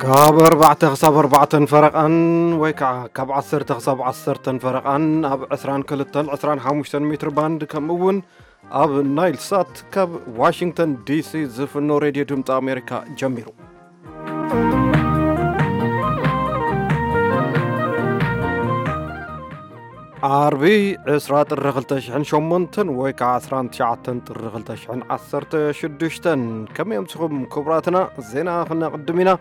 ካብ ኣርባዕተ ክሳብ ኣርባዕተን ፈረቓን ወይ ከዓ ካብ ዓሰርተ ክሳብ ዓሰርተን ፈረቓን ኣብ ዕስራን ክልተን ዕስራን ሓሙሽተን ሜትር ባንድ፣ ከምኡ እውን ኣብ ናይል ሳት ካብ ዋሽንግተን ዲሲ ዝፍኖ ሬድዮ ድምፂ ኣሜሪካ ጀሚሩ። ዓርቢ ዕስራ ጥሪ ክልተ ሽሕን ሸሞንተን ወይ ከዓ ዕስራን ትሽዓተን ጥሪ ክልተ ሽሕን ዓሰርተ ሽዱሽተን። ከመይ ኣምሲኹም ክቡራትና? ዜና ክነቕድም ኢና።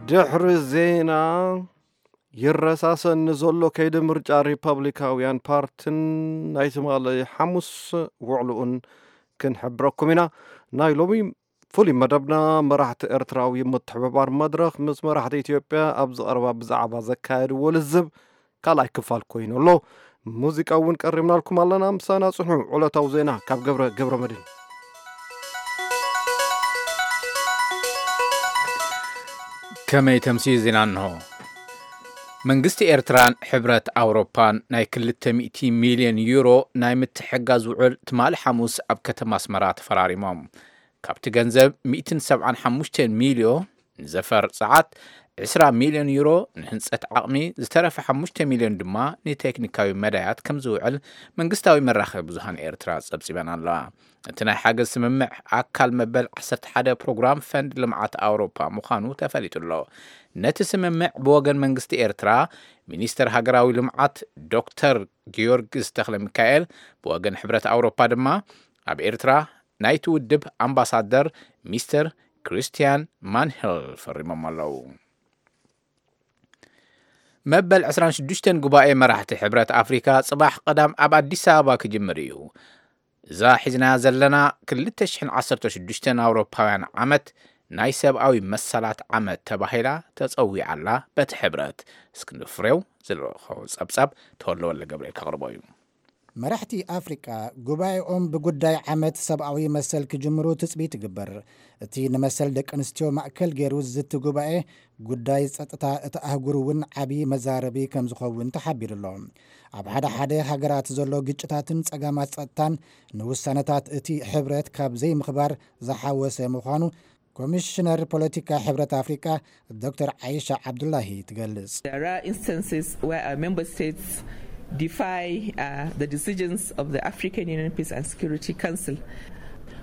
ድሕሪ ዜና፣ ይረሳሰኒ ዘሎ ከይዲ ምርጫ ሪፐብሊካውያን ፓርትን ናይ ትማሊ ሓሙስ ውዕልኡን ክንሕብረኩም ኢና። ናይ ሎሚ ፍሉይ መደብና፣ መራሕቲ ኤርትራዊ ምትሕብባር መድረኽ ምስ መራሕቲ ኢትዮጵያ ኣብዚ ቀረባ ብዛዕባ ዘካየድዎ ልዝብ ካልኣይ ክፋል ኮይኑ ኣሎ። ሙዚቃ እውን ቀሪብናልኩም ኣለና። ምሳና ጽንሑ። ዕለታዊ ዜና ካብ ገብረ፣ ገብረ መድህን። ከመይ ተምሲ ዜና እንሆ። መንግስቲ ኤርትራን ሕብረት ኣውሮፓን ናይ ክልተ ሚእቲ ሚልዮን ዩሮ ናይ ምትሕጋዝ ውዕል ትማሊ ሓሙስ ኣብ ከተማ ኣስመራ ተፈራሪሞም። ካብቲ ገንዘብ ሚእትን ሰብዓን ሓሙሽተን ሚልዮ ንዘፈር ጸዓት፣ ዕስራ ሚልዮን ዩሮ ንህንጸት ዓቕሚ፣ ዝተረፈ ሓሙሽተ ሚልዮን ድማ ንቴክኒካዊ መዳያት ከም ዝውዕል መንግስታዊ መራኸቢ ብዙሃን ኤርትራ ጸብጺበን ኣለዋ። እቲ ናይ ሓገዝ ስምምዕ ኣካል መበል ዓሰርተ ሓደ ፕሮግራም ፈንድ ልምዓት ኣውሮፓ ምዃኑ ተፈሊጡ ኣሎ። ነቲ ስምምዕ ብወገን መንግስቲ ኤርትራ ሚኒስተር ሃገራዊ ልምዓት ዶክተር ጊዮርጊስ ተኽለ ሚካኤል፣ ብወገን ሕብረት ኣውሮፓ ድማ ኣብ ኤርትራ ናይቲ ውድብ ኣምባሳደር ሚስተር ክሪስቲያን ማንሄል ፈሪሞም ኣለዉ። መበል ዕስራን ሽዱሽተን ጉባኤ መራሕቲ ሕብረት ኣፍሪካ ጽባሕ ቀዳም ኣብ ኣዲስ ኣበባ ክጅምር እዩ። እዛ ሒዝናያ ዘለና ክልተ ሽሕን ዓሰርተ ሽዱሽተን ኣውሮፓውያን ዓመት ናይ ሰብኣዊ መሰላት ዓመት ተባሂላ ተጸዊዓላ በቲ ሕብረት። እስክንድር ፍሬው ዝለኸቦ ጸብጻብ ተወልደ ወልደ ገብርኤል ከቕርቦ እዩ። መራሕቲ ኣፍሪቃ ጉባኤኦም ብጉዳይ ዓመት ሰብኣዊ መሰል ክጅምሩ ትጽቢት ይግበር። እቲ ንመሰል ደቂ ኣንስትዮ ማእከል ገይሩ ዝዝቲ ጉባኤ፣ ጉዳይ ጸጥታ እቲ ኣህጉር እውን ዓቢ መዛረቢ ከም ዝኸውን ተሓቢሩ ኣሎ። ኣብ ሓደ ሓደ ሃገራት ዘሎ ግጭታትን ጸገማት ጸጥታን ንውሳነታት እቲ ሕብረት ካብ ዘይምኽባር ዝሓወሰ ምዃኑ ኮሚሽነር ፖለቲካ ሕብረት ኣፍሪቃ ዶክተር ዓይሻ ዓብዱላሂ ትገልጽ። There are instances where our member states defy, uh, the decisions of the African Union Peace and Security Council.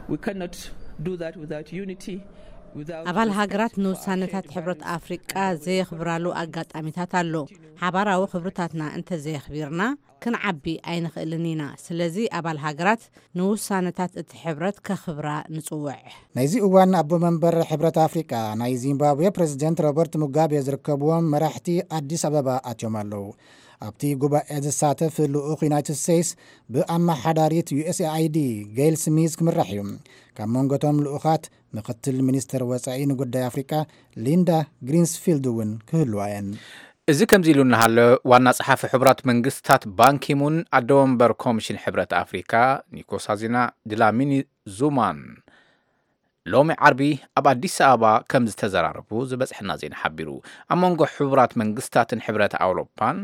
We cannot do that without unity, without ኣባል respect ሃገራት for our ንውሳነታት shared ሕብረት values ኣፍሪቃ and ዘየኽብራሉ ኣጋጣሚታት ኣሎ። ሓባራዊ ክብርታትና እንተዘየኽቢርና፣ ክንዓቢ ኣይንኽእልን ኢና። ስለዚ ኣባል ሃገራት ንውሳነታት እቲ ሕብረት ከኽብራ ንጽውዕ። ናይዚ እዋን ኣቦ መንበር ሕብረት ኣፍሪቃ ናይ ዚምባብዌ ፕሬዚደንት ሮበርት ሙጋቤ ዝርከብዎም መራሕቲ ኣዲስ ኣበባ ኣትዮም ኣለዉ። ኣብቲ ጉባኤ ዝሳተፍ ልኡኽ ዩናይትድ ስቴትስ ብኣመሓዳሪት ዩ ኤስ ኤ ኣይ ዲ ጌይል ስሚዝ ክምራሕ እዩ። ካብ መንጎቶም ልኡኻት ምክትል ሚኒስትር ወጻኢ ንጉዳይ ኣፍሪቃ ሊንዳ ግሪንስፊልድ እውን ክህልዋ እየን። እዚ ከምዚ ኢሉ እናሃለ፣ ዋና ጸሓፊ ሕቡራት መንግስታት ባንኪሙን ኣደ ወንበር ኮሚሽን ሕብረት ኣፍሪካ ኒኮሳዚና ድላሚኒ ዙማን ሎሚ ዓርቢ ኣብ ኣዲስ ኣበባ ከም ዝተዘራረቡ ዝበጽሐና ዜና ሓቢሩ። ኣብ መንጎ ሕቡራት መንግስታትን ሕብረት ኣውሮፓን፣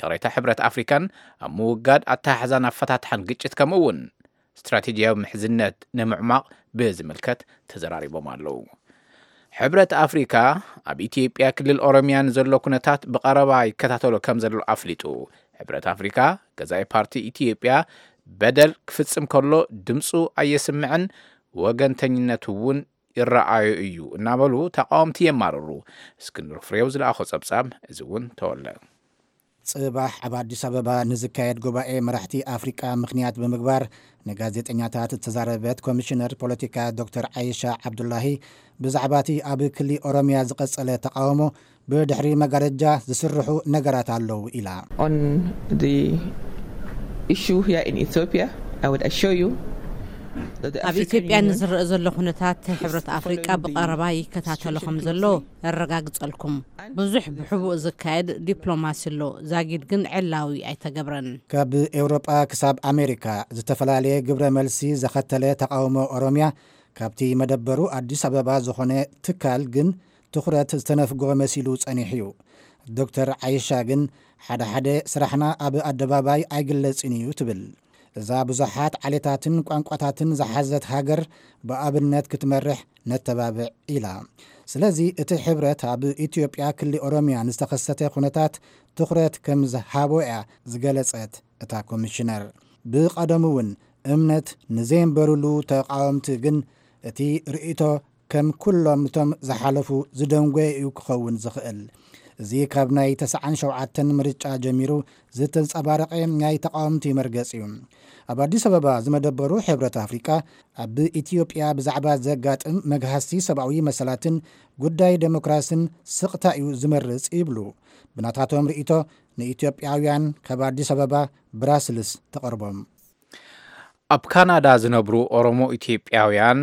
ይቕሬታ፣ ሕብረት ኣፍሪካን ኣብ ምውጋድ ኣተሓሕዛን ኣፈታትሓን ግጭት፣ ከምኡ እውን ስትራቴጂያዊ ምሕዝነት ንምዕማቕ ብዝምልከት ተዘራሪቦም ኣለዉ። ሕብረት ኣፍሪካ ኣብ ኢትዮጵያ ክልል ኦሮሚያ ንዘሎ ኩነታት ብቐረባ ይከታተሎ ከም ዘሎ ኣፍሊጡ። ሕብረት ኣፍሪካ፣ ገዛኢ ፓርቲ ኢትዮጵያ በደል ክፍጽም ከሎ ድምፁ ኣየስምዕን፣ ወገንተኝነት እውን ይረኣዮ እዩ እናበሉ ተቃወምቲ የማርሩ። እስክንድር ፍሬው ዝለኣኾ ጸብጻብ እዚ እውን ተወለ። ጽባሕ ኣብ ኣዲስ ኣበባ ንዝካየድ ጉባኤ መራሕቲ ኣፍሪቃ ምኽንያት ብምግባር ንጋዜጠኛታት እተዛረበት ኮሚሽነር ፖለቲካ ዶክተር ዓይሻ ዓብዱላሂ፣ ብዛዕባ እቲ ኣብ ክሊ ኦሮምያ ዝቐጸለ ተቃውሞ ብድሕሪ መጋረጃ ዝስርሑ ነገራት ኣለዉ ኢላ። On the issue here in Ethiopia, I would assure you that the ኣብ African ኢትዮጵያ Union ንዝረአ ዘሎ ኩነታት ሕብረት ኣፍሪቃ ብቐረባ ይከታተሎ ከም ዘሎ የረጋግጸልኩም። ብዙሕ ብሕቡእ ዝካየድ ዲፕሎማሲ ኣሎ፣ ዛጊድ ግን ዕላዊ ኣይተገብረን። ካብ ኤውሮጳ ክሳብ ኣሜሪካ ዝተፈላለየ ግብረ መልሲ ዘኸተለ ተቃውሞ ኦሮምያ፣ ካብቲ መደበሩ ኣዲስ ኣበባ ዝኾነ ትካል ግን ትኹረት ዝተነፍጎ መሲሉ ጸኒሑ እዩ። ዶክተር ዓይሻ ግን ሓደ ሓደ ስራሕና ኣብ ኣደባባይ ኣይግለጽን እዩ ትብል። እዛ ብዙሓት ዓሌታትን ቋንቋታትን ዝሓዘት ሃገር ብኣብነት ክትመርሕ ነተባብዕ ኢላ። ስለዚ እቲ ሕብረት ኣብ ኢትዮጵያ ክሊ ኦሮሚያ ንዝተኸሰተ ኩነታት ትኹረት ከም ዝሃቦ እያ ዝገለጸት እታ ኮሚሽነር። ብቐደሙ እውን እምነት ንዘየንበሩሉ ተቓወምቲ ግን እቲ ርእይቶ ከም ኩሎም እቶም ዝሓለፉ ዝደንጎየ እዩ ክኸውን ዝኽእል። እዚ ካብ ናይ ተስዓን ሸውዓተን ምርጫ ጀሚሩ ዝተንጸባረቐ ናይ ተቓወምቲ መርገጽ እዩ። ኣብ ኣዲስ ኣበባ ዝመደበሩ ሕብረት ኣፍሪቃ ኣብ ኢትዮጵያ ብዛዕባ ዘጋጥም መግሃስቲ ሰብኣዊ መሰላትን ጉዳይ ዴሞክራስን ስቕታ እዩ ዝመርጽ ይብሉ። ብናታቶም ርእይቶ ንኢትዮጵያውያን ካብ ኣዲስ ኣበባ ብራስልስ ተቐርቦም። ኣብ ካናዳ ዝነብሩ ኦሮሞ ኢትዮጵያውያን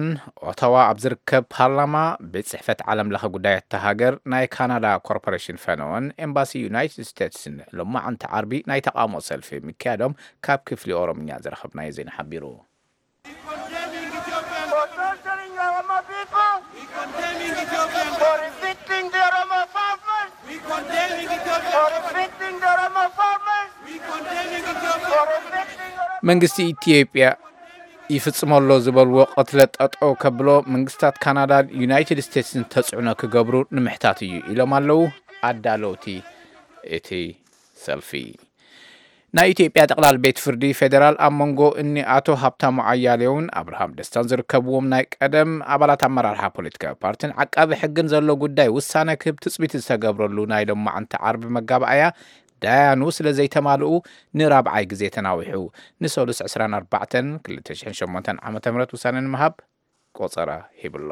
ኦታዋ ኣብ ዝርከብ ፓርላማ ቤት ጽሕፈት ዓለም ለኸ ጉዳያት እታ ሃገር ናይ ካናዳ ኮርፖሬሽን ፈነወን ኤምባሲ ዩናይትድ ስቴትስን ሎማዓንቲ ዓርቢ ናይ ተቓውሞ ሰልፊ ምክያዶም ካብ ክፍሊ ኦሮምኛ ዝረኸብናዮ ዜና ሓቢሩ። For torturing the Oromo people, for evicting the Oromo farmers, for evicting the Oromo farmers, for evicting Oromo መንግስቲ ኢትዮጵያ ይፍጽሞ ኣሎ ዝበልዎ ቅትለት ጠጠው ከብሎ መንግስታት ካናዳን ዩናይትድ ስቴትስን ተጽዕኖ ክገብሩ ንምሕታት እዩ ኢሎም ኣለዉ ኣዳለውቲ እቲ ሰልፊ። ናይ ኢትዮጵያ ጠቕላል ቤት ፍርዲ ፌዴራል ኣብ መንጎ እኒ ኣቶ ሃብታሙ ኣያሌውን ኣብርሃም ደስታን ዝርከብዎም ናይ ቀደም ኣባላት ኣመራርሓ ፖለቲካዊ ፓርቲን ዓቃቢ ሕግን ዘሎ ጉዳይ ውሳነ ክህብ ትፅቢት ዝተገብረሉ ናይ ሎማዓንቲ ዓርቢ መጋባእያ ዳያኑ ስለ ዘይተማልኡ ንራብዓይ ግዜ ተናዊሑ ንሰሉስ ዕስራን ኣርባዕተን ክልተ ሽሕን ሸሞንተን ዓመተ ምህረት ውሳነ ንምሃብ ቆፀራ ሂብሎ።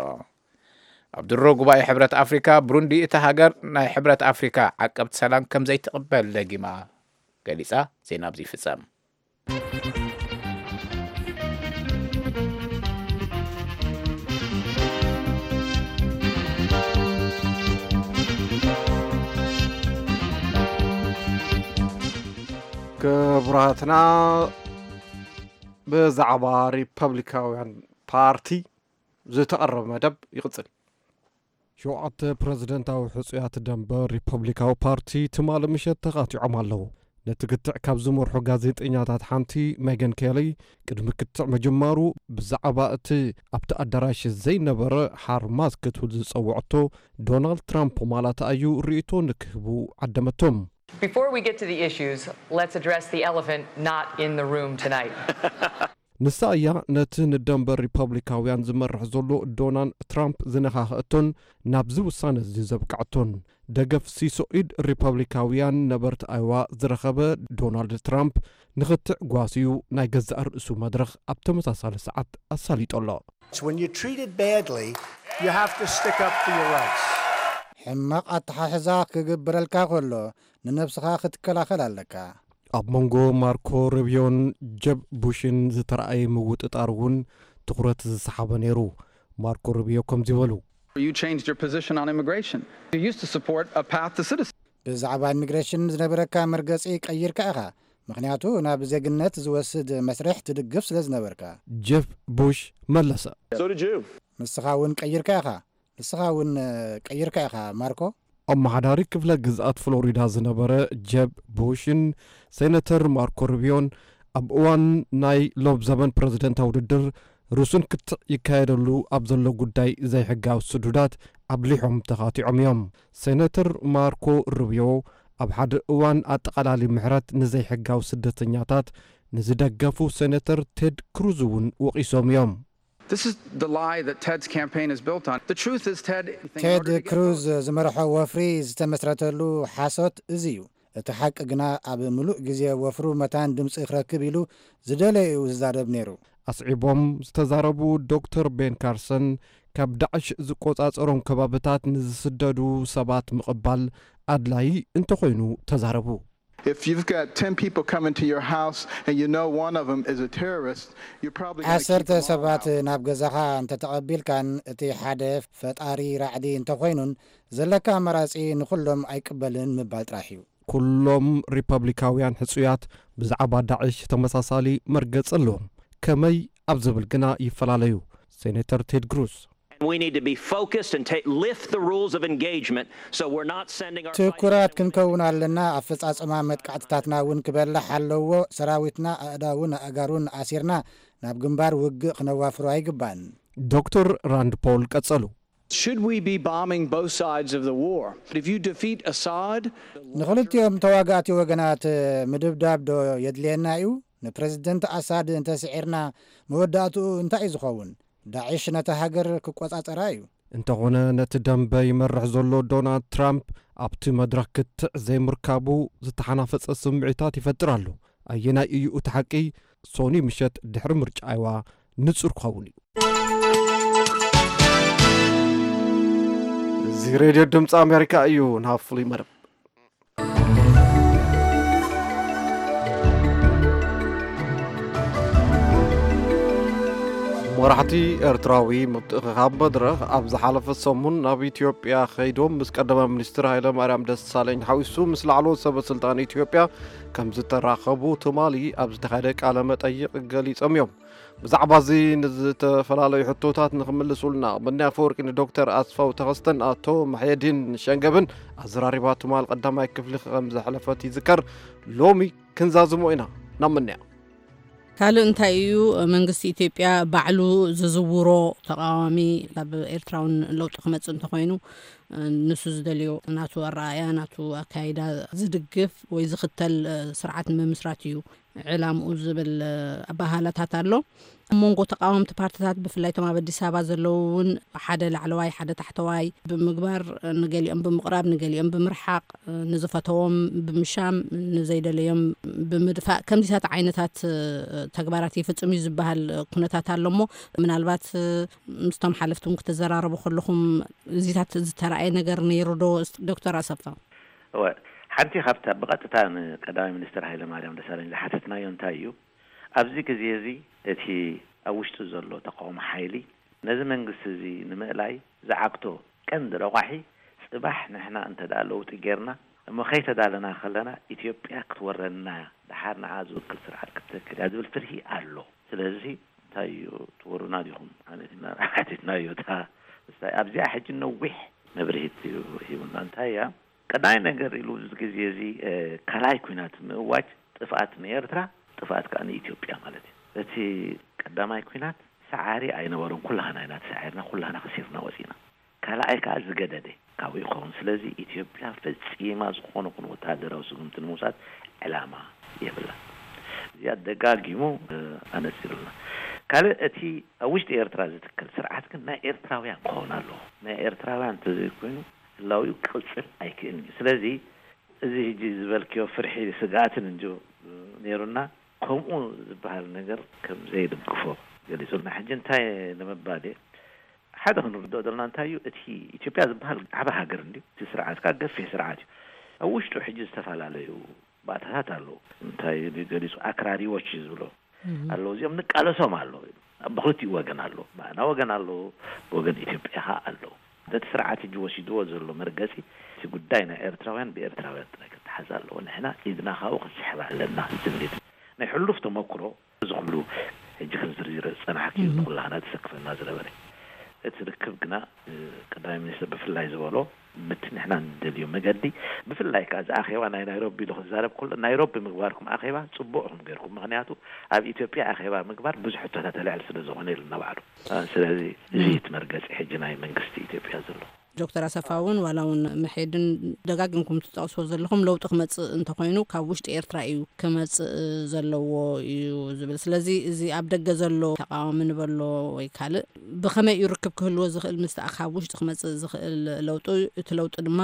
ኣብ ድሮ ጉባኤ ሕብረት ኣፍሪካ ብሩንዲ እታ ሃገር ናይ ሕብረት ኣፍሪካ ዓቀብቲ ሰላም ከም ዘይትቕበል ደጊማ ገሊጻ። ዜና ኣብዚ ይፍጸም። ክቡራትና ብዛዕባ ሪፐብሊካውያን ፓርቲ ዝተቐረበ መደብ ይቕጽል። ሸውዓተ ፕረዚደንታዊ ሕጹያት ደንበ ሪፐብሊካዊ ፓርቲ ትማሊ ምሸት ተኻቲዖም ኣለዉ። ነቲ ክትዕ ካብ ዝመርሑ ጋዜጠኛታት ሓንቲ ሜገን ኬሊ ቅድሚ ክትዕ ምጅማሩ ብዛዕባ እቲ ኣብቲ ኣዳራሽ ዘይነበረ ሓርማዝ ክትብል ዝጸውዐቶ ዶናልድ ትራምፕ ማላታ እዩ ርእይቶ ንክህቡ ዓደመቶም። Before we get to the issues, let's address the elephant not in the room tonight. ንሳ እያ ነቲ ንደንበ ሪፐብሊካውያን ዝመርሕ ዘሎ ዶናልድ ትራምፕ ዝነኻኸእቶን ናብዚ ውሳነ እዚ ዘብቅዐቶን። ደገፍ ሲሶ ኢድ ሪፐብሊካውያን ነበርቲ ኣይዋ ዝረኸበ ዶናልድ ትራምፕ ንኽትዕ ጓስዩ ናይ ገዛእ ርእሱ መድረኽ ኣብ ተመሳሳሊ ሰዓት ኣሳሊጡ ኣሎ። When you're treated badly, you have to stick up for your rights. ሕማቕ ኣተሓሕዛ ክግብረልካ ከሎ ንነብስኻ ክትከላኸል ኣለካ። ኣብ መንጎ ማርኮ ሩቢዮን ጀብ ቡሽን ዝተረኣየ ምውጥጣር እውን ትኹረት ዝሰሓበ ነይሩ። ማርኮ ሩቢዮ ከምዚ በሉ። You changed your position on immigration. You used to support a path to citizenship. ብዛዕባ ኢሚግሬሽን ዝነበረካ መርገጺ ቀይርካ ኢኻ፣ ምኽንያቱ ናብ ዜግነት ዝወስድ መስርሕ ትድግፍ ስለ ዝነበርካ። ጀፍ ቡሽ መለሰ። So did you. ንስኻ እውን ቀይርካ ኢኻ። ንስኻ እውን ቀይርካ ኢኻ ማርኮ። ኣመሓዳሪ ክፍለ ግዝኣት ፍሎሪዳ ዝነበረ ጀብ ቡሽን ሴነተር ማርኮ ሩቢዮን ኣብ እዋን ናይ ሎብ ዘበን ፕረዚደንታዊ ውድድር ርሱን ክትዕ ይካየደሉ ኣብ ዘሎ ጉዳይ ዘይሕጋዊ ስዱዳት ኣብሊሖም ተኻቲዖም እዮም። ሴነተር ማርኮ ሩቢዮ ኣብ ሓደ እዋን ኣጠቓላሊ ምሕረት ንዘይሕጋዊ ስደተኛታት ንዝደገፉ ሴነተር ቴድ ክሩዝ እውን ወቒሶም እዮም። This is the lie that Ted's campaign is built on. The truth is, Ted. ቴድ ክሩዝ ዝመርሖ ወፍሪ ዝተመስረተሉ ሓሶት እዚ እዩ። እቲ ሓቂ ግና ኣብ ምሉእ ግዜ ወፍሩ መታን ድምፂ ክረክብ ኢሉ ዝደለየኡ ዝዛረብ ነይሩ። ኣስዒቦም ዝተዛረቡ ዶክተር ቤን ካርሰን ካብ ዳዕሽ ዝቆጻጸሮም ከባብታት ንዝስደዱ ሰባት ምቕባል ኣድላዪ እንተኾይኑ ተዛረቡ። If you've got ten people coming to your house and you know one of them is a terrorist, you're probably going to keep ዓሰርተ them all ሰባት out. ናብ ገዛኻ እንተተቐቢልካን እቲ ሓደ ፈጣሪ ራዕዲ እንተኾይኑን ዘለካ ኣማራጺ ንኹሎም ኣይቅበልን ምባል ጥራሕ እዩ። ኩሎም ሪፐብሊካውያን ሕጹያት ብዛዕባ ዳዕሽ ተመሳሳሊ መርገጽ ኣለዎም። ከመይ ኣብ ዝብል ግና ይፈላለዩ። ሴኔተር ቴድ ክሩዝ We need to be focused and take, lift the rules of engagement so we're not sending our fighting ትኩራት ክንከውን ኣለና። ኣፈጻጽማ መጥቃዕትታትና እውን ክበላሕ ኣለዎ። ሰራዊትና ኣእዳውን ኣእጋሩን ኣሲርና ናብ ግንባር ውግእ ክነዋፍሮ ኣይግባን። ዶክተር ራንድ ፖል ቀጸሉ። Should we be bombing both sides of the war? If you defeat Assad, ንኽልቲኦም ተዋጋእቲ ወገናት ምድብዳብ ዶ የድልየና እዩ? ንፕረዚደንት ኣሳድ እንተስዒርና መወዳእትኡ እንታይ እዩ ዝኸውን? ዳዕሽ ነታ ሃገር ክቆጻጸራ እዩ። እንተኾነ ነቲ ደንበ ይመርሕ ዘሎ ዶናልድ ትራምፕ ኣብቲ መድረኽ ክትዕ ዘይምርካቡ ዝተሓናፈጸ ስምዒታት ይፈጥር ኣሎ። ኣየናይ እዩ እቲ ሓቂ? ሶኒ ምሸት ድሕሪ ምርጫ ኣይዋ ንጹር ክኸውን እዩ። እዚ ሬድዮ ድምፂ ኣሜሪካ እዩ። ናብ ፍሉይ መደብ። መራሕቲ ኤርትራዊ ምትእኽኻብ መድረኽ ኣብ ዝሓለፈ ሰሙን ናብ ኢትዮጵያ ከይዶም ምስ ቀዳማይ ሚኒስትር ሃይለ ማርያም ደሳለኝ ሓዊሱ ምስ ላዕለዎት ሰበ ስልጣን ኢትዮጵያ ከም ዝተራኸቡ ትማሊ ኣብ ዝተኻየደ ቃለ መጠይቕ ገሊጾም እዮም። ብዛዕባ እዚ ንዝተፈላለዩ ሕቶታት ንኽምልሱልና፣ ብኒ ኣፈወርቂ ንዶክተር ኣስፋው ተኸስተን ኣቶ መሕየዲን ሸንገብን ኣዘራሪባ ትማል ቀዳማይ ክፍሊ ከም ዘሕለፈት ይዝከር። ሎሚ ክንዛዝሞ ኢና። ናብ ምንያ። ካልእ እንታይ እዩ? መንግስቲ ኢትዮጵያ ባዕሉ ዝዝውሮ ተቃዋሚ ካብ ኤርትራውን ለውጢ ክመጽእ እንተኮይኑ ንሱ ዝደልዮ ናቱ ኣረኣያ ናቱ ኣካይዳ ዝድግፍ ወይ ዝኽተል ስርዓት ንምምስራት እዩ ዕላምኡ ዝብል ኣባሃላታት ኣሎ። ኣብ መንጎ ተቃወምቲ ፓርትታት ብፍላይ እቶም ኣብ ኣዲስ ኣበባ ዘለዉ እውን ሓደ ላዕለዋይ ሓደ ታሕተዋይ ብምግባር ንገሊኦም ብምቕራብ ንገሊኦም ብምርሓቕ ንዝፈተዎም ብምሻም ንዘይደለዮም ብምድፋእ ከምዚታት ዓይነታት ተግባራት ይፍጽም እዩ ዝበሃል ኩነታት ኣሎ እሞ ምናልባት ምስቶም ሓለፍቲ እውን ክትዘራረቡ ከለኹም እዚታት ዝተረኣየ ነገር ነይሩ ዶ ዶክተር ኣሰፋ? እወ፣ ሓንቲ ካብታ ብቐጥታ ንቀዳማይ ሚኒስትር ሃይለማርያም ደሳለኝ ዝሓተትናዮ እንታይ እዩ፣ ኣብዚ ግዜ እዚ እቲ ኣብ ውሽጢ ዘሎ ተቃውሞ ሓይሊ ነዚ መንግስቲ እዚ ንምእላይ ዝዓግቶ ቀንዲ ረቋሒ፣ ጽባሕ ንሕና እንተ ደኣ ለውጢ ጌርና እሞ ከይተዳለና ከለና ኢትዮጵያ ክትወረና እያ፣ ደሓር ንዓ ዝውክል ስርዓት ክትተክል እያ ዝብል ፍርሂ ኣሎ። ስለዚ እንታይ እዩ ትወሩና ዲኹም? ሓቲትና ሓቲትናዮ እታ ምስታይ ኣብዚኣ ሕጂ ነዊሕ መብርሂት እዩ ሂቡና። እንታይ እያ ቀዳማይ ነገር ኢሉ እዚ ግዜ እዚ ካልኣይ ኩናት ምእዋጅ ጥፍኣት ንኤርትራ ጥፍኣት ከዓ ንኢትዮጵያ ማለት እዩ። እቲ ቀዳማይ ኩናት ሰዓሪ ኣይነበሮን። ኩላህና ኢና ተሳዒርና፣ ኩላህና ከሲርና ወፂና። ካልኣይ ከዓ ዝገደደ ካብኡ ይኸውን። ስለዚ ኢትዮጵያ ፈፂማ ዝኾነ ኩን ወታደራዊ ስጉምቲ ንምውሳድ ዕላማ የብላን። እዚኣ ደጋጊሙ ኣነፂሩልና። ካልእ እቲ ኣብ ውሽጢ ኤርትራ ዝትከል ስርዓት ግን ናይ ኤርትራውያን ክኸውን ኣለዎ። ናይ ኤርትራውያን እንተዘይኮይኑ ህላዊኡ ክቕፅል ኣይክእልን እዩ። ስለዚ እዚ ሕጂ ዝበልክዮ ፍርሒ ስግኣትን እንጂ ነይሩና ከምኡ ዝበሃል ነገር ከም ዘይድግፎ ገሊጹልና። ሕጂ እንታይ ንምባል እየ ሓደ ክንርድኦ ዘለና እንታይ እዩ እቲ ኢትዮጵያ ዝበሃል ዓቢ ሃገር እንድዩ። እቲ ስርዓት ከዓ ገፊሕ ስርዓት እዩ። ኣብ ውሽጡ ሕጂ ዝተፈላለዩ ባእታታት ኣለዉ። እንታይ ገሊጹ ኣክራሪዎች እዩ ዝብሎ ኣለዉ። እዚኦም ንቃለሶም ኣለዉ። ብክልቲኡ ወገን ኣለዉ። ብኣና ወገን ኣለዉ፣ ብወገን ኢትዮጵያ ከዓ ኣለዉ። ነቲ ስርዓት ሕጂ ወሲድዎ ዘሎ መርገጺ እቲ ጉዳይ ናይ ኤርትራውያን ብኤርትራውያን ጥራይ ክተሓዝ ኣለዎ። ንሕና ኢድና ካብኡ ክንስሕብ ኣለና ዝብል እዩ። ናይ ሕሉፍ ተመክሮ እዚ ኩሉ ሕጂ ክንዝርዝር ዝጸናሕኪ ንኩላህና ተሰክፈና ዝነበረ እቲ ርክብ ግና ቀዳማይ ሚኒስትር ብፍላይ ዝበሎ ምት ንሕና ንደልዮ መገዲ ብፍላይ ከዓ እዚ ኣኼባ ናይ ናይሮቢ ኢሉ ክዛረብ ከሎ ናይሮቢ ምግባርኩም ኣኼባ ጽቡቕ ኢኹም ገይርኩም። ምክንያቱ ኣብ ኢትዮጵያ ኣኼባ ምግባር ብዙሕ ሕቶታት ተልዕል ስለ ዝኾነ ኢሉ እናባዕሉ። ስለዚ እዚ እቲ መርገፂ ሕጂ ናይ መንግስቲ ኢትዮጵያ ዘሎ። ዶክተር ኣሰፋ እውን ዋላ እውን መሐድን ደጋጊምኩም ትጠቕስዎ ዘለኹም ለውጢ ክመፅእ እንተኮይኑ ካብ ውሽጢ ኤርትራ እዩ ክመፅእ ዘለዎ እዩ ዝብል። ስለዚ እዚ ኣብ ደገ ዘሎ ተቃዋሚ ንበሎ ወይ ካልእ ብኸመይ እዩ ርክብ ክህልዎ ዝኽእል ምስቲ ካብ ውሽጢ ክመፅእ ዝኽእል ለውጢ? እቲ ለውጢ ድማ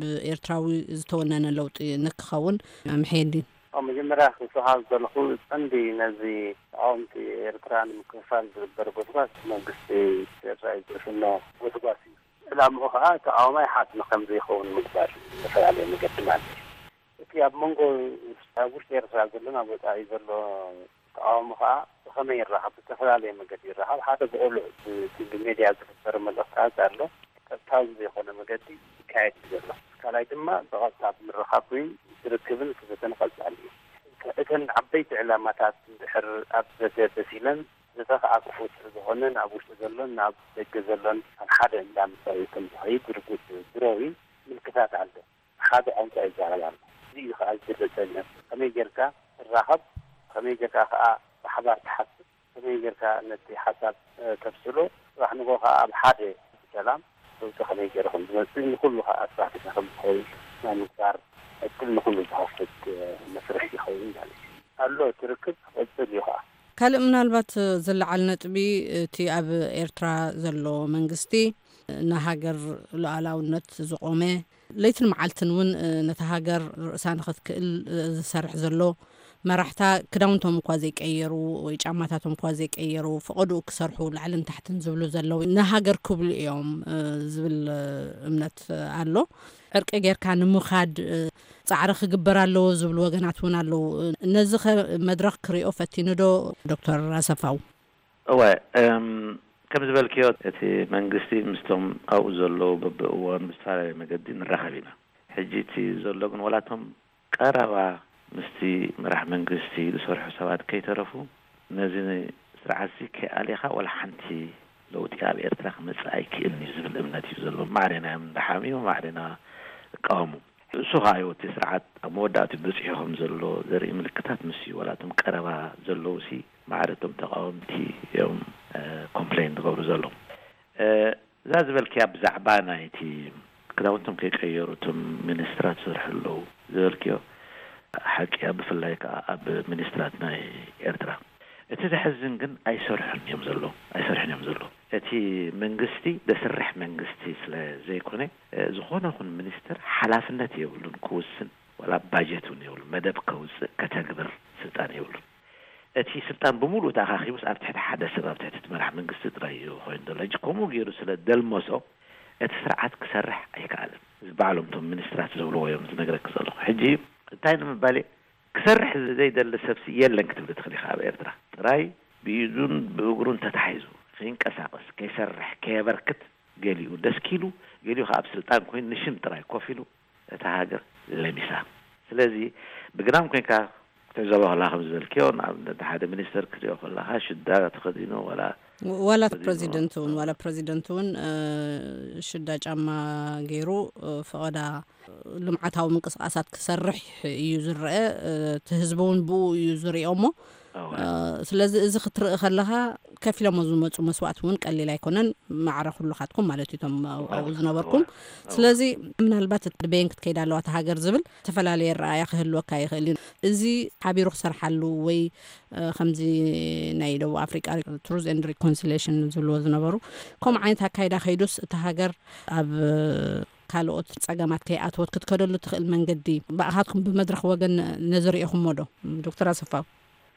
ብኤርትራዊ ዝተወነነ ለውጢ ንክኸውን መሐድን ኣብ መጀመርያ ክስሓብ ዘለኹ ቀንዲ ነዚ ተቃወምቲ ኤርትራ ንምክፍፋል ዝግበር ጎስጓስ መንግስቲ ኤርትራ እዩ ዝፍኖ ጎስጓስ እዩ። ዕላምኡ ከዓ ተቃዋማይ ሓፍ ንከም ዘይኸውን ምግባር ዝተፈላለዩ መገዲ ማለት እዩ። እቲ ኣብ መንጎ ኣብ ውሽጢ ኤርትራ ዘሎ ናብ ወፃኢ ዘሎ ተቃውሞ ከዓ ብከመይ ይረሓብ? ብዝተፈላለየ መገዲ ይረሓብ። ሓደ ብቆልዑ ብቲቪ ሜድያ ዝግበር መልእክታት ኣሎ። ቀጥታዊ ብዘይኮነ መገዲ ይካየድ እዩ ዘሎ። ካልኣይ ድማ ብቐጥታ ብምርኻብ ኮይኑ ዝርክብን ክዘተን ቀጻሊ እዩ። እተን ዓበይቲ ዕላማታት እንድሕር ኣብ ዘተ ተሲለን እዚ ከዓ ክፉት ዝኾነ ናብ ውሽጢ ዘሎን ናብ ደገ ዘሎን ኣብ ሓደ እንዳ ምሳሌ ከም ዝኸይድ ርጉጽ ድሮዊ ምልክታት ኣሎ። ሓደ ቋንቋ ይዛረብ ኣሎ። እዚ እዩ ከዓ ዝገለጸኒ። ከመይ ጌርካ ትራኸብ፣ ከመይ ጌርካ ከዓ ብሓባር ትሓስብ፣ ከመይ ጌርካ ነቲ ሓሳብ ተብስሎ፣ ጽባሕ ንጎ ከዓ ኣብ ሓደ ሰላም ለውጢ ከመይ ገይሩ ከም ዝመፅእ ንኩሉ ከዓ ስራሕትና ከም ዝኸውን ናይ ምግባር ዕድል ንኩሉ ዝኸፍት መስርሕ ይኸውን ማለት እዩ። ኣሎ እቲ ርክብ ክቕፅል እዩ ከዓ። ካልእ ምናልባት ዝለዓል ነጥቢ እቲ ኣብ ኤርትራ ዘሎ መንግስቲ ንሃገር ሉዓላውነት ዝቆመ ለይትን መዓልትን እውን ነታ ሃገር ርእሳ ንኽትክእል ዝሰርሕ ዘሎ መራሕታ ክዳውንቶም እኳ ዘይቀየሩ ወይ ጫማታቶም እኳ ዘይቀየሩ ፈቐድኡ ክሰርሑ ላዕልን ታሕትን ዝብሉ ዘለዉ ንሃገር ክብሉ እዮም ዝብል እምነት ኣሎ። ዕርቂ ጌርካ ንምኻድ ጻዕሪ ክግበር ኣለዎ ዝብሉ ወገናት እውን ኣለዉ። ነዚ ኸ መድረኽ ክሪኦ ፈቲኑ ዶ ዶክተር ኣሰፋው? እወ፣ እም፣ ከም ዝበልክዮ እቲ መንግስቲ ምስቶም ኣብኡ ዘለዉ በብእዋኑ ብዝተፈላለየ መገዲ ንራኸብ ኢና። ሕጂ እቲ ዘሎ ግን ዋላ እቶም ቀረባ ምስቲ መራሕ መንግስቲ ዝሰርሑ ሰባት ከይተረፉ ነዚ ስርዓትዚ ከይኣሊኻ ዋላ ሓንቲ ለውጢ ኣብ ኤርትራ ክመጽእ ኣይክእልን እዩ ዝብል እምነት እዩ ዘለዎ። ማዕረ ኢና እዮም እንዳሓምዩ፣ ማዕረ ኢና እቃወሙ። እሱ ኸዓ እዩ እቲ ስርዓት ኣብ መወዳእትኡ በጺሑ ከም ዘሎ ዘርኢ ምልክታት ንሱ እዩ። ዋላ እቶም ቀረባ ዘለዉ ሲ ማዕረ እቶም ተቃወምቲ እዮም ኮምፕሌን ዝገብሩ ዘለዉ። እዛ ዝበልክያ ብዛዕባ ናይቲ ክዳውንቶም ከይቀየሩ እቶም ሚኒስትራት ዝሰርሑ ኣለዉ ዝበልክዮ ሓቂ እያ፣ ብፍላይ ከዓ ኣብ ሚኒስትራት ናይ ኤርትራ። እቲ ዘሕዝን ግን ኣይሰርሑን እዮም ዘለዉ፣ ኣይሰርሑን እዮም ዘለዉ። እቲ መንግስቲ ዘስርሕ መንግስቲ ስለ ዘይኮነ ዝኾነ ኹን ሚኒስትር ሓላፍነት የብሉን ክውስን፣ ዋላ ባጀት እውን የብሉ፣ መደብ ከውፅእ ከተግብር ስልጣን የብሉን። እቲ ስልጣን ብምሉኡ ተኣኻኺቡስ ኣብ ትሕቲ ሓደ ሰብ፣ ኣብ ትሕቲ እቲ መራሕ መንግስቲ ጥራይ እዩ ኮይኑ ዘሎ። ሕጂ ከምኡ ገይሩ ስለ ደልመሶ እቲ ስርዓት ክሰርሕ ኣይከኣልን። እዚ ባዕሎም እቶም ሚኒስትራት ዝብልዎ እዮም ዝነግረኪ ዘለኹ። ሕጂ እንታይ ንምባል እየ? ክሰርሕ ዘይደሊ ሰብሲ የለን ክትብሊ ትኽእሊ ኢኻ ኣብ ኤርትራ። ጥራይ ብኢዱን ብእግሩን ተታሒዙ ከይንቀሳቐስ፣ ከይሰርሕ፣ ከየበርክት፣ ገሊኡ ደስኪሉ፣ ገሊኡ ከኣ ኣብ ስልጣን ኮይኑ ንሽም ጥራይ ኮፍ ኢሉ እታ ሃገር ለሚሳ። ስለዚ ብግዳም ኮይንካ ክትዕዘቦ ከለኻ ከም ዝበልክዮ ንኣብነት ሓደ ሚኒስተር ክትሪኦ ከለኻ ሽዳ ተኸዲኑ ዋላ ዋላ ፕረዚደንት እውን ዋላ ፕረዚደንት እውን ሽዳ ጫማ ገይሩ ፈቐዳ ልምዓታዊ ምንቅስቃሳት ክሰርሕ እዩ ዝረአ። እቲ ህዝቢ እውን ብኡ እዩ ዝሪኦ እሞ ስለዚ እዚ ክትርኢ ከለኻ ከፊሎሞ ዝመፁ መስዋእቲ እውን ቀሊል ኣይኮነን። ማዕረ ኩልኻትኩም ማለት እዩ እቶም ኣብኡ ዝነበርኩም። ስለዚ ምናልባት በየን ክትከይድ ኣለዋ እታ ሃገር ዝብል ዝተፈላለየ ኣረኣእያ ክህልወካ ይኽእል እዩ። እዚ ሓቢሩ ክሰርሓሉ ወይ ከምዚ ናይ ደቡብ ኣፍሪቃ ትሩዝ ኤንድ ሪኮንሲሌሽን ዝብልዎ ዝነበሩ ከምኡ ዓይነት ኣካይዳ ከይዱስ እታ ሃገር ኣብ ካልኦት ጸገማት ከይኣተወት ክትከደሉ ትኽእል መንገዲ ብኣኻትኩም ብመድረኽ ወገን ነዚ ርኢኹሞ ዶ ዶክተር ኣሰፋው?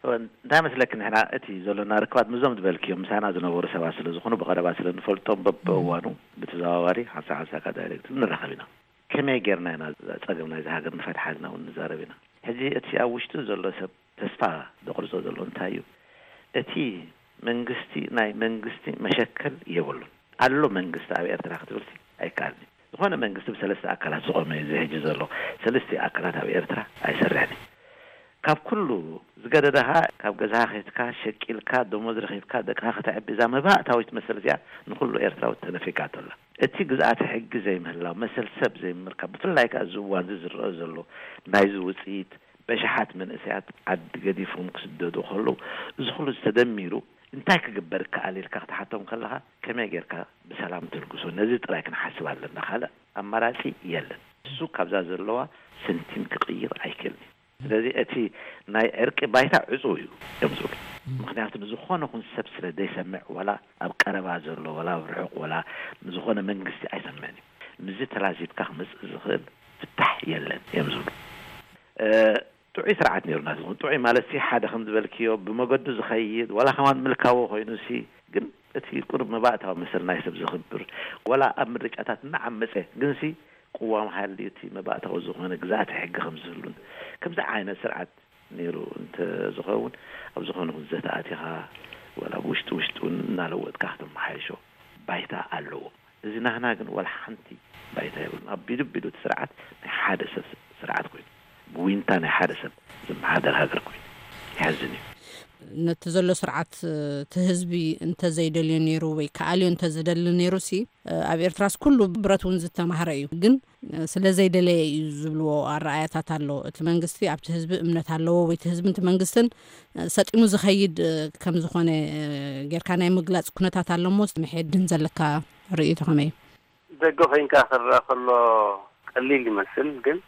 እንታይ መስለኪ ንሕና እቲ ዘሎና ርክባት ምስዞም ዝበልክዮም ምሳና ዝነበሩ ሰባት ስለ ዝኾኑ ብቐረባ ስለ ንፈልጦም በብእዋኑ ብተዘዋዋሪ ሓንሳ ሓንሳካ ዳይሬክት ንራኸብ ኢና። ከመይ ጌርና ኢና ጸገም ናይዚ ሃገር ንፈትሓ ኢልና እውን ንዛረብ ኢና። ሕጂ እቲ ኣብ ውሽጢ ዘሎ ሰብ ተስፋ ዘቑርጾ ዘሎ እንታይ እዩ? እቲ መንግስቲ ናይ መንግስቲ መሸከል የብሉን። ኣሎ መንግስቲ ኣብ ኤርትራ ክትብልሲ ኣይከኣልን እዩ። ዝኾነ መንግስቲ ብሰለስተ ኣካላት ዝቖመ እዩ እዚ ሕጂ ዘሎ። ሰለስተ ኣካላት ኣብ ኤርትራ ኣይሰርሕን እዩ። ካብ ኩሉ ዝገደደ ኸኣ ካብ ገዛኻ ከይትካ ሸቂልካ ደሞዝ ረኺብካ ደቅኻ ከተዕቢ እዛ መባእታዊት መሰል እዚኣ ንኹሉ ኤርትራዊ ተነፊጋቶ ኣላ። እቲ ግዝኣተ ሕጊ ዘይምህላው፣ መሰል ሰብ ዘይምርካብ፣ ብፍላይ ከኣ እዚ እዋን እዚ ዝረአ ዘሎ ናይዚ ውጽኢት በሽሓት መንእሰያት ዓዲ ገዲፎም ክስደዱ ከለዉ፣ እዚ ኩሉ ተደሚሩ እንታይ ክግበር ይከኣል ኢልካ ክትሓቶም ከለኻ፣ ከመይ ጌርካ ብሰላም ትልግሶ? ነዚ ጥራይ ክንሓስብ ኣለና። ካልእ ኣማራጺ የለን። እሱ ካብዛ ዘለዋ ሰንቲም ክቕይር ኣይክእልን እዩ። ስለዚ እቲ ናይ ዕርቂ ባይታ ዕጹው እዩ እዮም ዝብሉ። ምኽንያቱ ንዝኾነ ኹን ሰብ ስለ ዘይሰምዕ፣ ዋላ ኣብ ቀረባ ዘሎ፣ ዋላ ኣብ ርሑቕ፣ ዋላ ንዝኾነ መንግስቲ ኣይሰምዕን እዩ። ምስዚ ተላዚብካ ክመጽእ ዝኽእል ፍታሕ የለን እዮም ዝብሉ። ጥዑይ ስርዓት ነይሩ ናትኩም። ጥዑይ ማለት ሲ ሓደ ከም ዝበልክዮ ብመገዱ ዝኸይድ ዋላ ከማን ምልካዊ ኮይኑ ሲ ግን እቲ ቁሩብ መባእታዊ መሰል ናይ ሰብ ዘኽብር ዋላ ኣብ ምርጫታት እናዓመፀ ግን ሲ ቅዋም ሃልዩ እቲ መባእታዊ ዝኾነ ግዝኣተ ሕጊ ከም ዝህሉን ከምዚ ዓይነት ስርዓት ነይሩ እንተዝኸውን ኣብ ዝኾነ ኩን ዘተ ኣቲኻ ዋላ ብውሽጢ ውሽጢ እውን እናለወጥካ ከተመሓይሾ ባይታ ኣለዎ። እዚ ናህና ግን ዋላ ሓንቲ ባይታ የብሉን። ኣቢሉ ኣቢሉ እቲ ስርዓት ናይ ሓደ ሰብ ስርዓት ኮይኑ ብዊንታ ናይ ሓደ ሰብ ዝመሓደር ሃገር ኮይኑ የሕዝን እዩ። ነቲ ዘሎ ስርዓት፣ እ፣ እቲ ህዝቢ እንተዘይደልዮ ነይሩ ወይ ከኣልዮ እንተዝደሊ ነይሩ ሲ፣ እ፣ ኣብ ኤርትራስ ኩሉ ብረት እውን ዝተማህረ እዩ። ግን፣ እ፣ ስለ ዘይደለየ እዩ ዝብልዎ ኣረኣያታት ኣሎ። እቲ መንግስቲ ኣብቲ ህዝቢ እምነት ኣለዎ ወይ እቲ ህዝቢ እቲ መንግስትን፣ እ፣ ሰጢሙ ዝኸይድ፣ እ፣ ከም ዝኾነ፣ እ፣ ጌርካ ናይ ምግላጽ ኩነታት ኣሎ እሞ፣ ምሕድን ዘለካ ርእይቶ ከመይ እዩ? ደገ ኮይንካ ክረኣ ከሎ ቀሊል ይመስል፣ ግን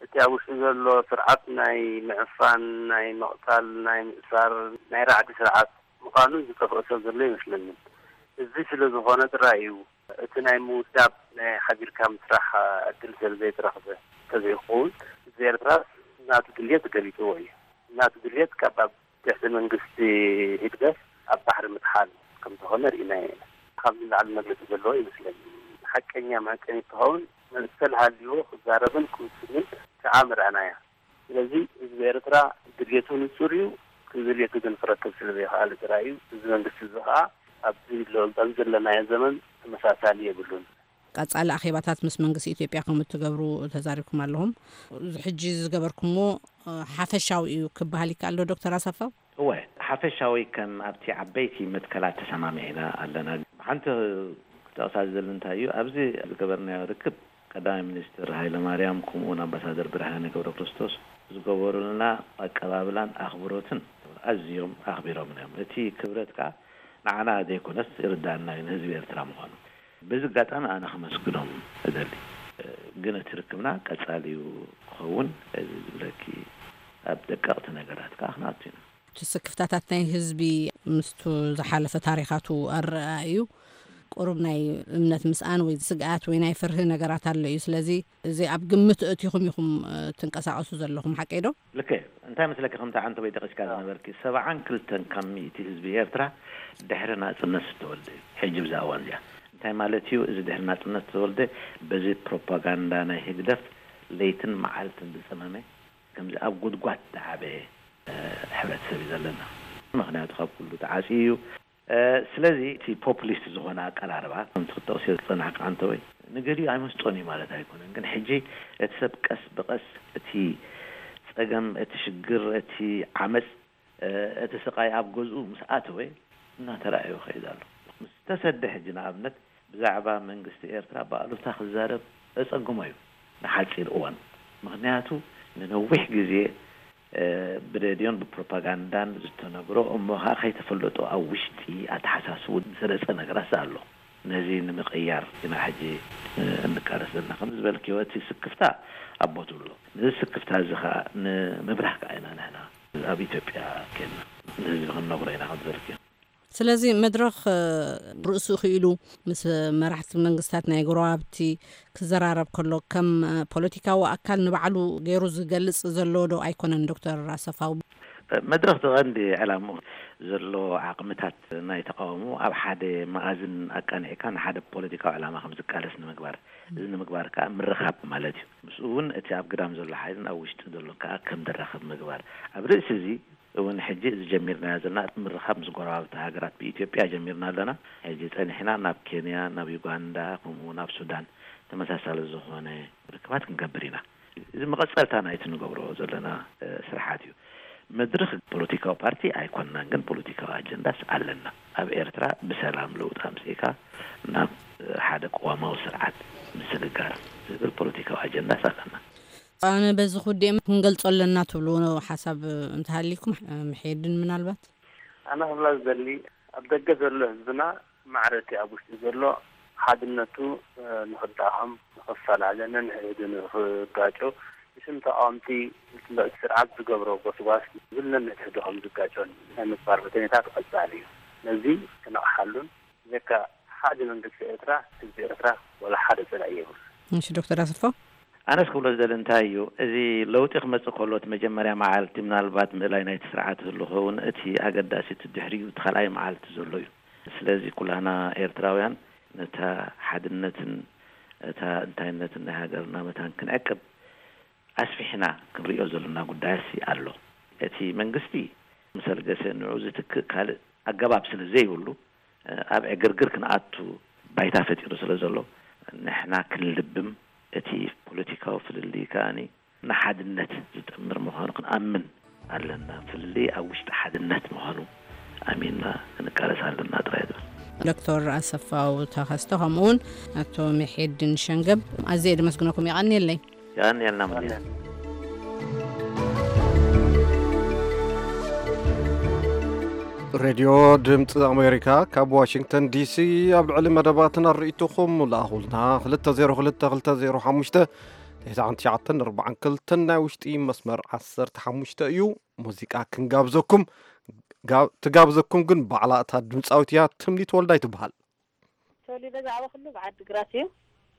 እቲ ኣብ ውሽጢ ዘሎ ስርዓት ናይ ምዕፋን፣ ናይ ምቕታል፣ ናይ ምእሳር፣ ናይ ራዕዲ ስርዓት ምዃኑ ዝጠፍኦ ሰብ ዘሎ ይመስለንን። እዚ ስለ ዝኾነ ጥራይ እዩ እቲ ናይ ምውዳብ፣ ናይ ሓቢርካ ምስራሕ ዕድል ስለ ዘይተረኽበ። ተዘይኸውን ህዝቢ ኤርትራ ናቱ ድልየት ገሊጽዎ እዩ። ናቱ ድልየት ካብ ኣብ ትሕቲ መንግስቲ ህግደፍ ኣብ ባሕሪ ምጥሓል ከም ዝኾነ ርኢናዮ ኢና። ካብ ንላዕሊ መግለጺ ዘለዎ ይመስለኒ። ሓቀኛ መዐቀኒ ክኸውን መሰል ሃልይዎ ክዛረብን ክውስንን ከዓ ምርኣናያ። ስለዚ ህዝቢ ኤርትራ ድልየቱ ንጹር እዩ። ድልየቱ ግን ክረክብ ስለ ዘይኸኣለ ጥራይ እዩ። እዚ መንግስቲ እዚ ከዓ ኣብዚ ሎ-፣ ኣብዚ ዘለናዮ ዘመን ተመሳሳሊ የብሉን። ቀጻሊ ኣኼባታት ምስ መንግስቲ ኢትዮጵያ ከም እትገብሩ ተዛሪብኩም ኣለኹም። እዚ ሕጂ ዝገበርኩሞ፣ እ፣ ሓፈሻዊ እዩ ክበሃል ይከኣል ዶ ዶክተር ኣሰፋው? እወ፣ ሓፈሻዊ ከም ኣብቲ ዓበይቲ መትከላት ተሰማሚዕና ኣለና። ሓንቲ ክጠቕሳ ዝደሊ እንታይ እዩ፣ ኣብዚ ዝገበርናዮ ርክብ ቀዳማይ ሚኒስትር ሃይለ ማርያም ከምኡውን ኣምባሳደር ብርሃነ ገብረ ክርስቶስ ዝገበሩልና ኣቀባብላን ኣኽብሮትን ኣዝዮም ኣኽቢሮምና እዮም። እቲ ክብረት ከኣ ንዓና ዘይኮነስ ይርዳእና እዩ፣ ንህዝቢ ኤርትራ ምዃኑ። በዚ ኣጋጣሚ ኣነ ከመስግኖም እደሊ። ግን እቲ ርክብና ቀጻሊ እዩ ክኸውን እዚ ዝብለኪ፣ ኣብ ደቀቕቲ ነገራት ከኣ ክንኣቱ ኢና። እቲ ስክፍታታት ናይ ህዝቢ ምስቱ ዝሓለፈ ታሪኻቱ ኣረኣ እዩ። ቁሩብ ናይ እምነት ምስኣን ወይ ስግኣት ወይ ናይ ፍርሂ ነገራት ኣሎ እዩ። ስለዚ እዚ ኣብ ግምት እቲኹም ኢኹም፣ እ፣ ትንቀሳቐሱ ዘለኹም፣ ሓቀይ ዶ? ልክዕ። እንታይ መስለኪ፣ ከምቲ ዓንተቦይ ጠቒስካ ዝነበርኪ፣ ሰብዓን ክልተን ካብ ሚእቲ ህዝቢ ኤርትራ ድሕሪ ናጽነት ዝተወልደ እዩ። ሕጂ ብዛ እዋን እዚኣ እንታይ ማለት እዩ? እዚ ድሕሪ ናጽነት ዝተወልደ በዚ ፕሮፓጋንዳ ናይ ህግደፍ ለይትን መዓልትን ዝጸመመ፣ ከምዚ ኣብ ጉድጓድ ዝዓበየ፣ እ፣ ሕብረተሰብ እዩ ዘለና። ምኽንያቱ ካብ ኩሉ ተዓጽዩ እዩ። እ፣ ስለዚ እቲ ፖፑሊስት ዝኾነ ኣቀራርባ፣ ከምቲ ክትጠቕስዮ ዝጸናሕካ ዓንተቦይ፣ ንገሊኡ ኣይመስጦን እዩ ማለት ኣይኮነን። ግን ሕጂ እቲ ሰብ ቀስ ብቐስ እቲ ጸገም፣ እቲ ሽግር፣ እቲ ዓመጽ፣ እ፣ እቲ ስቓይ ኣብ ገዝኡ ምስ ኣተወ እናተራእዮ ይኸይድ ኣሎ። ምስ ተሰደ ሕጂ ንኣብነት ብዛዕባ መንግስቲ ኤርትራ ብኣሉታ ክዛረብ ዘጸግሞ እዩ ንሓጺር እዋን። ምኽንያቱ ንነዊሕ ግዜ፣ እ፣ ብሬድዮን ብፕሮፓጋንዳን ዝተነግሮ እሞ ኸኣ ከይተፈለጦ ኣብ ውሽጢ ኣተሓሳስቡ ዝሰረጸ ነገራት ኣሎ። ነዚ ንምቕያር ኢና ሕጂ፣ እ፣ እንቃለስ ዘለና። ከም ዝበልክዮ እቲ ስክፍታ ኣብ ቦትኡ ኣሎ። ነዚ ስክፍታ እዚ ኸኣ ንምብራህ ከኣ ኢና ንሕና ኣብ ኢትዮጵያ ኬንና ንህዝቢ ክንነግሮ ኢና ከም ዝበልክዮ። ስለዚ መድረኽ፣ እ፣ ርእሱ ክኢሉ ምስ መራሕቲ መንግስታት ናይ ጎረባብቲ ክዘራረብ ከሎ ከም፣ እ፣ ፖለቲካዊ ኣካል ንባዕሉ ገይሩ ዝገልጽ ዘሎ ዶ ኣይኮነን ዶክተር ኣሰፋው? መድረኽ እቲ ቀንዲ ዕላምኡ ዘሎ ዓቕምታት ናይ ተቃውሞ ኣብ ሓደ መኣዝን ኣቃኒዕካ ንሓደ ፖለቲካዊ ዕላማ ከም ዝቃለስ ንምግባር፣ እዚ ንምግባር ከኣ ምርኻብ ማለት እዩ። ምስኡ እውን እቲ ኣብ ግዳም ዘሎ ሓይልን ኣብ ውሽጢ ዘሎን ከኣ ከም ዝራኸብ ምግባር። ኣብ ርእሲ እዚ እውን ሕጂ እዚ ጀሚርናዮ ዘለና ምርኻብ ምስ ጎረባብቲ ሃገራት፣ ብኢትዮጵያ ጀሚርና ኣለና። ሕጂ ጸኒሕና ናብ ኬንያ፣ ናብ ዩጋንዳ፣ ከምኡ ናብ ሱዳን ተመሳሳሊ ዝኾነ ርክባት ክንገብር ኢና። እዚ መቐጸልታ ናይቲ ንገብሮ ዘለና፣ እ፣ ስራሓት እዩ። መድረኽ ፖለቲካዊ ፓርቲ ኣይኮንናን፣ ግን ፖለቲካዊ ኣጀንዳስ ኣለና። ኣብ ኤርትራ ብሰላም ለውጢ ኣምጺእካ ናብ፣ እ፣ ሓደ ቅዋማዊ ስርዓት ምስግጋር ዝብል ፖለቲካዊ ኣጀንዳስ ኣለና። ኣነ በዚ ክውድእ ክንገልጾ ኣለና ትብልዎ ሓሳብ እንተሃሊኩም፣ ምሕየድን ምናልባት? ኣነ ክብላ ዝደሊ፣ ኣብ ደገ ዘሎ ህዝብና ማዕረ እቲ ኣብ ውሽጢ ዘሎ ሓድነቱ፣ እ፣ ንኽዳኸም፣ ንኽፈላለ፣ ነንሕድሕዱ ንኽጋጮ፣ ብሽም ተቃወምቲ እቲ ስርዓት ዝገብሮ ጎስጓስ፣ ዝብል ነንሕድሕዱ ከም ዝጋጮን ናይ ምግባር ሁኔታ ተቐጻሊ እዩ። ነዚ ክነቕሓሉን፣ ብዘይካ ሓደ መንግስቲ ኤርትራ፣ ህዝቢ ኤርትራ ዋላ ሓደ ጸላኢ የብሉ። እሺ ዶክተር ኣሰፋው? ኣነስ ክብሎ ዝደሊ እንታይ እዩ፣ እዚ ለውጢ ክመጽእ ከሎ እቲ መጀመርያ መዓልቲ ምናልባት ምእላይ ናይቲ ስርዓት ህሉ ኸውን፣ እቲ ኣገዳሲ እቲ ድሕሪኡ እቲ ካልኣይ መዓልቲ ዘሎ እዩ። ስለዚ ኩላህና ኤርትራውያን ነታ ሓድነትን እታ እንታይነትን ናይ ሃገርና መታን ክንዕቅብ ኣስፊሕና ክንሪኦ ዘለና ጉዳይሲ ኣሎ። እቲ መንግስቲ ምስ ኣልገሰ ንዑ ዝትክእ ካልእ ኣገባብ ስለ ዘይብሉ፣ ኣብ ዕግርግር ክንኣቱ ባይታ ፈጢሩ ስለ ዘሎ፣ ንሕና ክንልብም፣ እቲ ፖለቲካዊ ፍልልይ ከኣኒ ንሓድነት ዝጥምር ምዃኑ ክንኣምን ኣለና። ፍልልይ ኣብ ውሽጢ ሓድነት ምዃኑ ኣሚንና ክንቃለስ ኣለና ጥራይ ዝብል። ዶክተር ኣሰፋው ተኸስተ ከምኡ እውን ኣቶ ምሒድን ሸንገብ ኣዝየ ደመስግነኩም። የቐንየለይ። የቐንየልና። ሬድዮ ድምፂ ኣሜሪካ ካብ ዋሽንግተን ዲሲ። ኣብ ልዕሊ መደባትና ርእይቶኹም ለኣኹልና። ክልተ ዜሮ ክልተ ክልተ ዜሮ ሓሙሽተ ትሽዓን ትሽዓተን ኣርባዓን ክልተን ናይ ውሽጢ መስመር ዓሰርተ ሓሙሽተ እዩ። ሙዚቃ ክንጋብዘኩም፣ ጋ-፣ ትጋብዘኩም ግን ባዕላ እታ ድምፃዊት እያ። ትምኒት ወልዳይ ትበሃል። ተወሊደ ዝዓበኹሉ ብዓዲ ግራት እዩ።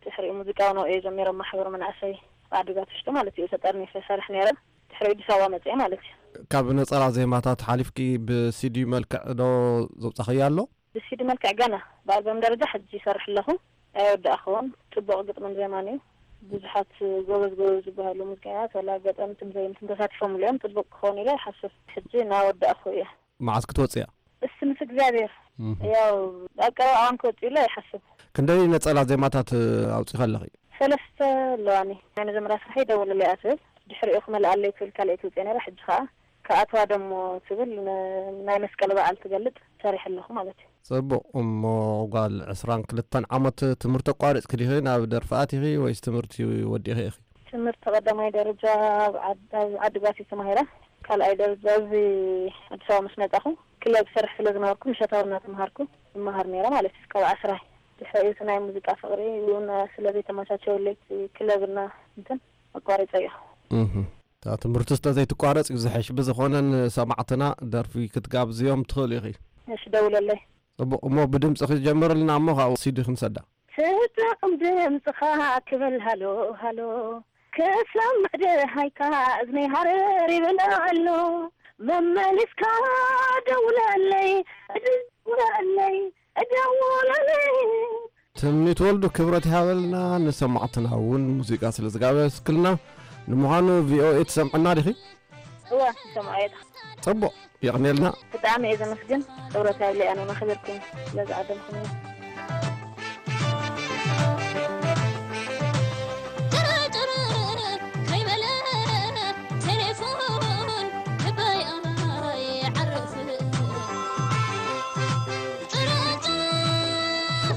ድሕሪኡ ሙዚቃ እውን እየ ጀሚረ፣ ማሕበር መናእሰይ ብዓዲ ግራት ውሽጢ ማለት እዩ። ተጠርኒፈ ይሰርሕ ነይረ። ድሕሪኡ ኣዲስ ኣበባ መፅአ ማለት እዩ። ካብ ነፀላ ዜማታት ሓሊፍኪ ብሲዲ መልክዕ ዶ ዘውፃኽያ ኣሎ? ብሲዲ መልክዕ ገና፣ ብኣልበም ደረጃ ሕጂ ይሰርሕ ኣለኹ። ኣይወዳእኽዎን። ፅቡቕ ግጥምን ዜማን እዩ። ብዙሓት ጎበዝ ጎበዝ ዝበሃሉ ሙዚቀኛታት ዋላ ገጠምትን ዘየምትን ተሳቲፎምሉ እዮም። ፅቡቕ ክኸውን ኢለ ይሓስብ። ሕጂ እናወዳእኹ እየ። መዓስ ክትወፅያ? እሱ ምስ እግዚኣብሔር። እህ። ያው ኣብ ቀረባ እዋን ክወፅእ ኢለ ይሓስብ። ክንደይ ነፀላ ዜማታት ኣውፂኻ ኣለኺ? ሰለስተ ኣለዋኒ። ናይ መጀመርያ ስርሐይ ደውለለይ እያ ትብል፣ ድሕሪኡ ክመልኣለይ ትብል ካልኣይቲ ውፅእ ነይራ። ሕጂ ከዓ ክኣትዋ ደሞ ትብል ን-፣ ናይ መስቀል በዓል ትገልጥ ሰሪሐ ኣለኹ ማለት እዩ። ጽቡቕ። እሞ ጓል ዕስራን ክልተን ዓመት ትምህርቲ ኣቋሪጽኪ ዲኺ ናብ ደርፊ ኣቲኺ ወይስ ትምህርቲ ወዲኺ ኢኺ? ትምህርቲ ቀዳማይ ደረጃ ኣብ ዓድ-፣ ኣብ ዓዲ ግራት ተማሂረ። ካልኣይ ደረጃ እዚ ኣዲስ ኣበባ ምስ መጻኹ ክለብ ሰርሕ ስለ ዝነበርኩ ምሸታዊ እናተምሃርኩ እመሃር ነይረ ማለት እዩ። ካብ ዓስራይ ድሕሪኡ እቲ ናይ ሙዚቃ ፍቕሪ እውን ስለ ዘይተመቻቸወለይ እቲ ክለብና እንትን ኣቋሪጸዮ። እህ። እታ ትምህርቲ ስለ ዘይትቋረጽ እዩ ዝሕሽ። ብዝኾነ ንሰማዕትና ደርፊ ክትጋብዝዮም ትኽእል ኢኺ። እሺ፣ ደውለለይ። ጽቡቕ። እሞ ብድምጺ ክትጀምርልና እሞ ካብኡ ሲዲ ክንሰዳ። ትጥዕም ድምጽኻ ክብል ሃሎ ሃሎ፣ ክሰምዕ ደሃይካ እዝነይ ሃረር ይብል ኣሎ። መመሊስካ ደውለለይ፣ ደውለለይ፣ ደውለለይ። ትምኒት ወልዱ ክብረት ይሃበልና፣ ንሰማዕትና እውን ሙዚቃ ስለ ዝጋበዝክልና። ንምዃኑ ቪኦኤ ትሰምዕና ዲኺ? እወ፣ ይሰምዖ እየ። ጽቡቕ፣ የቕንየልና። ብጣዕሚ እየ ዘመስግን። ክብረት ይሃብለይ፣ ኣነ እውን ኣኽቢርኩም ስለ ዝዓደምኩምኒ። ጭርጭር ከይበለ ቴሌፎን ልበይ ኣይዓርፍን። ጭርጭር፣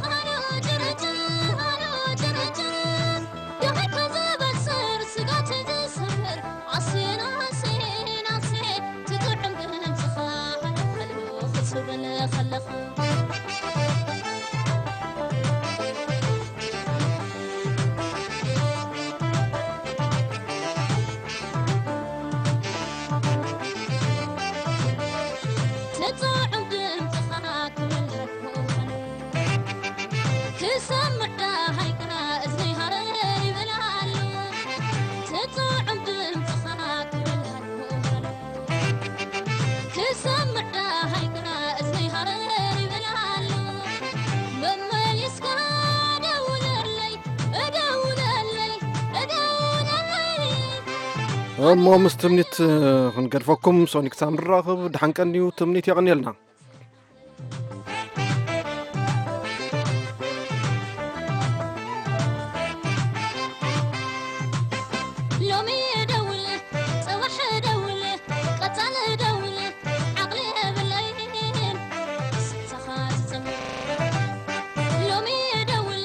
ሃሎ ጭርጭር፣ ሃሎ ጭርጭር፣ ደኺምካ ዝበስር ስጋት ዝስምር ኣስና ኣስና ኣስና ትጥዕም ድምፅኻ ሓሉ ክትብል ከለኻ። ትጥዕም ድምፅኻ ክብል ክሰምዕ ደሃይካ እዝነይ ሃረር ይብል ኣሎ። ትጥዕም ድምፅኻ ክብል ሃሎ ሃሎ። ክሰምዕ ደሃይካ እዝነይ ሃረር ይብል ኣሎ። መመሊስካ ደውለለይ፣ ደውለለይ፣ ደውለለይ። እሞ ምስ ትምኒት ክንገድፈኩም፣ ሶኒ ክሳብ ንራኸብ ደሓን ቀንዩ። ትምኒት የቐንየልና። ሎሚ ደውል፣ ጽባሕ ደውል፣ ቀጻሊ ደውል፣ ዓቕሊ የብለይን፣ ስልትኻ ዝጸውር። ሎሚ ደውል፣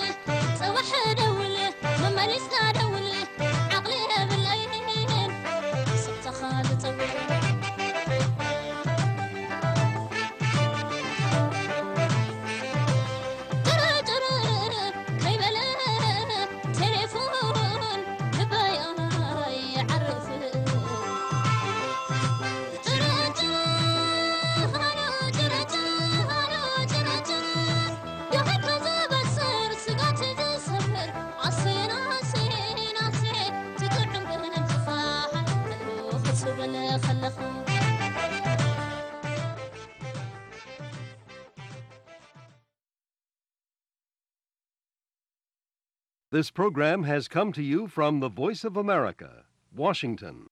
ጽባሕ ደውል፣ መመሊስካ ደውል፣ ዓቕሊ የብለይን፣ ስልትኻ ዝጸውር። ጭርጭር ከይበለ ቴሌፎን ልበይ ኣይዓርፍን። ጭርጭር፣ ሃሎ ጭርጭር፣ ሃሎ ጭርጭር፣ ደኺምካ ዝበስር ስጋት ዝሰብር ኣሴን ኣሴን ኣሴን ትጥዕም ድምፅኻ ሓሉ ክትብል ከለኻ። This program has come to you from the Voice of America, Washington.